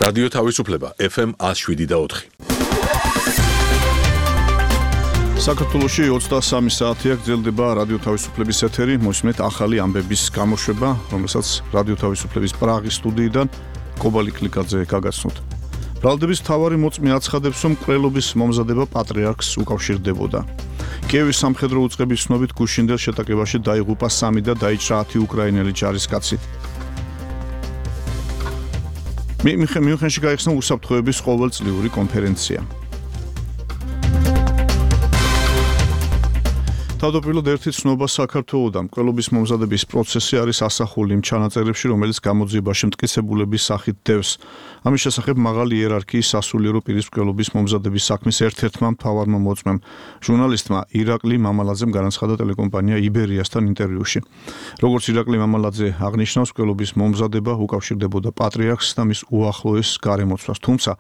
რადიო თავისუფლება FM 107.4. საქართველოში 23 საათია გრძელდება რადიო თავისუფლების ეთერი, მოსმენთ ახალი ამბების გამოშვება, რომელსაც რადიო თავისუფლების პრაღის სტუდიიდან კობალი კლიკაძე გაგაცნოთ. ბრალდების მთავარი მოწმე აცხადებს, რომ მკვლელობის მომზადება პატრიარქს უკავშირდებოდა. კიევის სამხედრო უწყების ცნობით გუშინდელ შეტაკებაში დაიღუპა 3 და დაიჭრა 10 უკრაინელი ჯარისკაცი. მიუნხენში გაიხსნა უსაფრთხოების ყოველწლიური კონფერენცია. თავდაპირველად ერთი ცნობა საქართველოდან მკვლელობის მომზადების პროცესი არის ასახული იმ ჩანაწერებში, რომელიც გამოძიებაში მტკიცებულების სახით დევს. ამის შესახებ მაღალი იერარქიის სასულიერო პირის მკვლელობის მომზადების საქმის ერთ-ერთმა მთავარმა მოწმემ, ჟურნალისტმა ირაკლი მამალაძემ განაცხადა ტელეკომპანია იბერიასთან ინტერვიუში. როგორც ირაკლი მამალაძე აღნიშნავს, მკვლელობის მომზადება უკავშირდებოდა პატრიარქს და მის უახლოეს გარემოცვას, თუმცა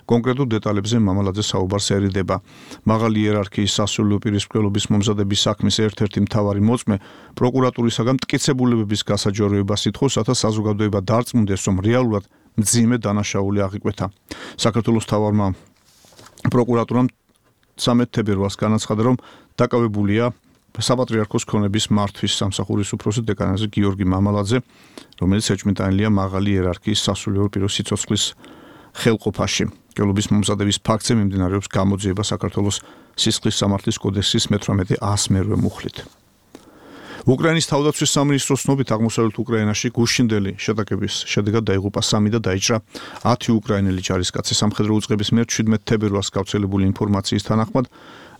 კონკრეტულ დეტალებზე მამალაძე საუბარს ერიდება. მაღალი იერარქიის სასულიერო პირის მკვლელობის მომზადების საქმის ერთ-ერთი მთავარი მოწმე პროკურატურისაგან მტკიცებულებების გასაჯაროებას ითხოვს, რათა საზოგადოება დარწმუნდეს, რომ რეალურად მძიმე დანაშაული აღიკვეთა. საქართველოს მთავარმა პროკურატურამ 13 თებერვალს განაცხადა, რომ დაკავებულია საპატრიარქოს ქონების მართვის სამსახურის უფროსი დეკანაზე გიორგი მამალაძე, რომელიც ეჭვმიტანილია მაღალი იერარქიის სასულიერო პირის სიცოცხლის ხელყოფაში. მკვლელობის მომზადების ფაქტზე მიმდინარეობს გამოძიება საქართველოს სისხლის სამართლის კოდექსის 18-100 მუხლით. უკრაინის თავდაცვის სამინისტროს ცნობით აღმოსავლეთ უკრაინაში გუშინდელი შეტაკების შედეგად დაიღუპა 3 და დაიჭრა 10 უკრაინელი ჯარისკაცი. სამხედრო უწყების მიერ 17 თებერვალს გავრცელებული ინფორმაციის თანახმად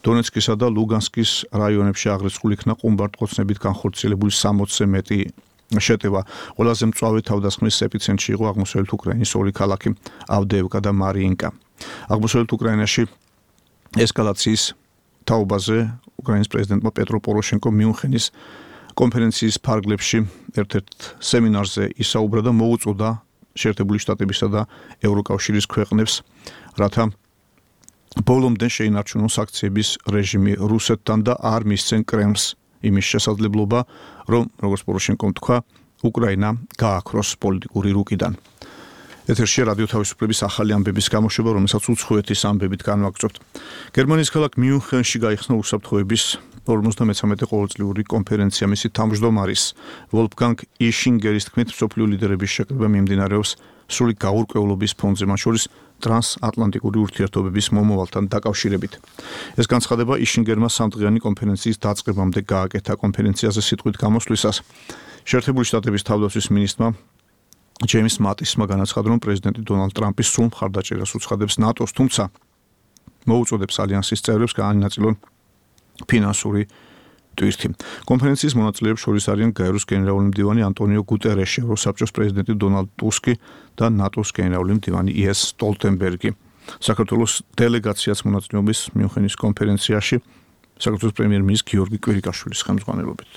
დონეცკისა და ლუგანსკის რაიონებში აღრიცხული იქნა ყუმბარდყოცნებით განხორციელებული 60-ზე მეტი შეტევა. ყველაზე მწვავე თავდასხმის ეპიცენტრში იყო აღმოსავლეთ უკრაინის ორი ქალაქი ავდეევკა და მარიინკა. აღმოსავლეთ უკრაინაში ესკალაციის თაობაზე უკრაინის პრეზიდენტმა პეტრო პოროშენკო მიუნხენის კონფერენციის ფარგლებში ერთ-ერთ სემინარზე ისაუბრა და მოუწოდა შეერთებული შტატებისა და ევროკავშირის ქვეყნებს, რათა ბოლომდე შეინარჩუნონ სანქციების რეჟიმი რუსეთთან და არ მისცენ კრემლს იმის შესაძლებლობა, რომ როგორც პოროშენკომ თქვა, უკრაინა გააქროს პოლიტიკური რუკიდან. ეთერში რადიო თავისუფლების ახალი ამბების გამოშვება, რომელსაც უცხოეთის ამბებით განვაგრძობთ. გერმანიის ქალაქ მიუნხენში გაიხსნა უსაფრთხოების 53 ყოველწლიური კონფერენცია. მისი თავმჯდომარის ვოლფგანგ იშინგერის თქმით, მსოფლიო ლიდერების შეკრება მიმდინარეობს სრული გაურკვევლობის ფონზე, მათ შორის ტრანსატლანტიკური ურთიერთობების მომავალთან დაკავშირებით. ეს განცხადება იშინგერმა სამდღიანი კონფერენციის დაწყებამდე გააკეთა. კონფერენციაზე სიტყვით გამოსვლისას შეერთებული შტატების თავდაცვის მინისტრმა ჯეიმს მატისმა განაცხადა, რომ პრეზიდენტი დონალდ ტრამპი სრულ მხარდაჭერას უცხადებს ნატოს, თუმცა მოუწოდებს ალიანსის წევრებს გაანაწილონ ფინანსური ტვირთი. კონფერენციის მონაწილეებს შორის არიან გაეროს გენერალური მდივანი ანტონიო გუტერეში, ევროსაბჭოს პრეზიდენტი დონალდ ტუსკი და ნატოს გენერალური მდივანი იენს სტოლტენბერგი. საქართველოს დელეგაციაც მონაწილეობს მიუნხენის კონფერენციაში საქართველოს პრემიერ-მინისტრის გიორგი კვირიკაშვილის ხელმძღვანელობით.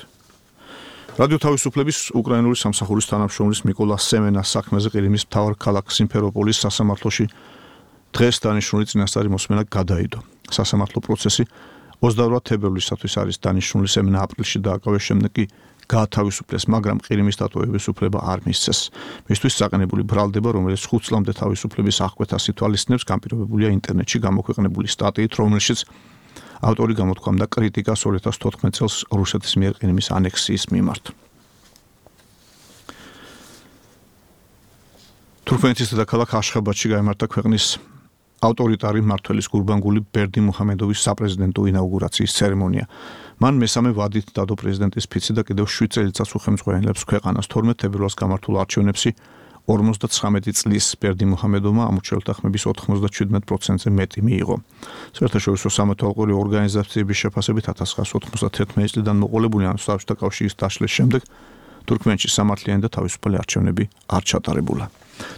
რადიო თავისუფლების უკრაინული სამსახურის თანამშრომლის მიკოლა სემენას საქმეზე ყირიმის მთავარ ქალაქ სიმფეროპოლის სასამართლოში დღეს დანიშნული წინასწარი მოსმენა გადაიდო. სასამართლო პროცესი 28 თებერვლისათვის არის დანიშნული. სემენა აპრილში დააკავეს, შემდეგ კი გაათავისუფლეს, მაგრამ ყირიმის დატოვების უფლება არ მისცეს. მისთვის საყენებული ბრალდება, რომელიც 5 წლამდე თავისუფლების აღკვეთას ითვალისწინებს, განპირობებულია ინტერნეტში გამოქვეყნებული სტატიით, რომელშიც ავტორი გამოთქვამდა კრიტიკას 2014 წელს რუსეთის მიერ ყირიმის ანექსიის მიმართ. თურქმენეთის დედაქალაქ აშხაბადში გაიმართა ქვეყნის ავტორიტარი მმართველის გურბანგული ბერდიმუჰამედოვის საპრეზიდენტო ინაუგურაციის ცერემონია. მან მესამე ვადით დადო პრეზიდენტის ფიცი და კიდევ 7 წელიწადს უხელმძღვანელებს ქვეყანას. 12 თებერვალს გამართულ არჩევნებში 59 წლის ბერდიმუჰამედოვმა ამორჩეულთა ხმების 97%-ზე მეტი მიიღო. საერთაშორისო სამეთვალყური ორგანიზაციების შეფასებით 1991 წლიდან მოყოლებული საბჭოთა კავშირის დაშლის შემდეგ თურქმენეთში სამართლიანი და თავისუფალი არჩევნები არ ჩატარებულა.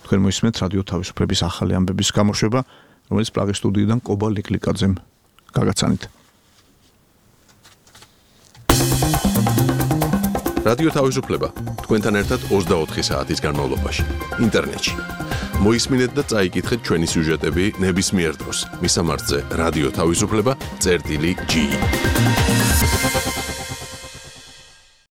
თქვენ მოისმენთ რადიო თავისუფლების ახალი ამბების გამოშვება, რომელიც პრაღის სტუდიიდან კობალი კლიკაძემ გაგაცანით. რადიო თავისუფლება თქვენთან ერთად 24 საათის განმავლობაში ინტერნეტში. მოისმინეთ და წაიკითხეთ ჩვენი სიუჟეტები ნებისმიერ დროს. მისამართზე რადიო თავისუფლება წერტილი G.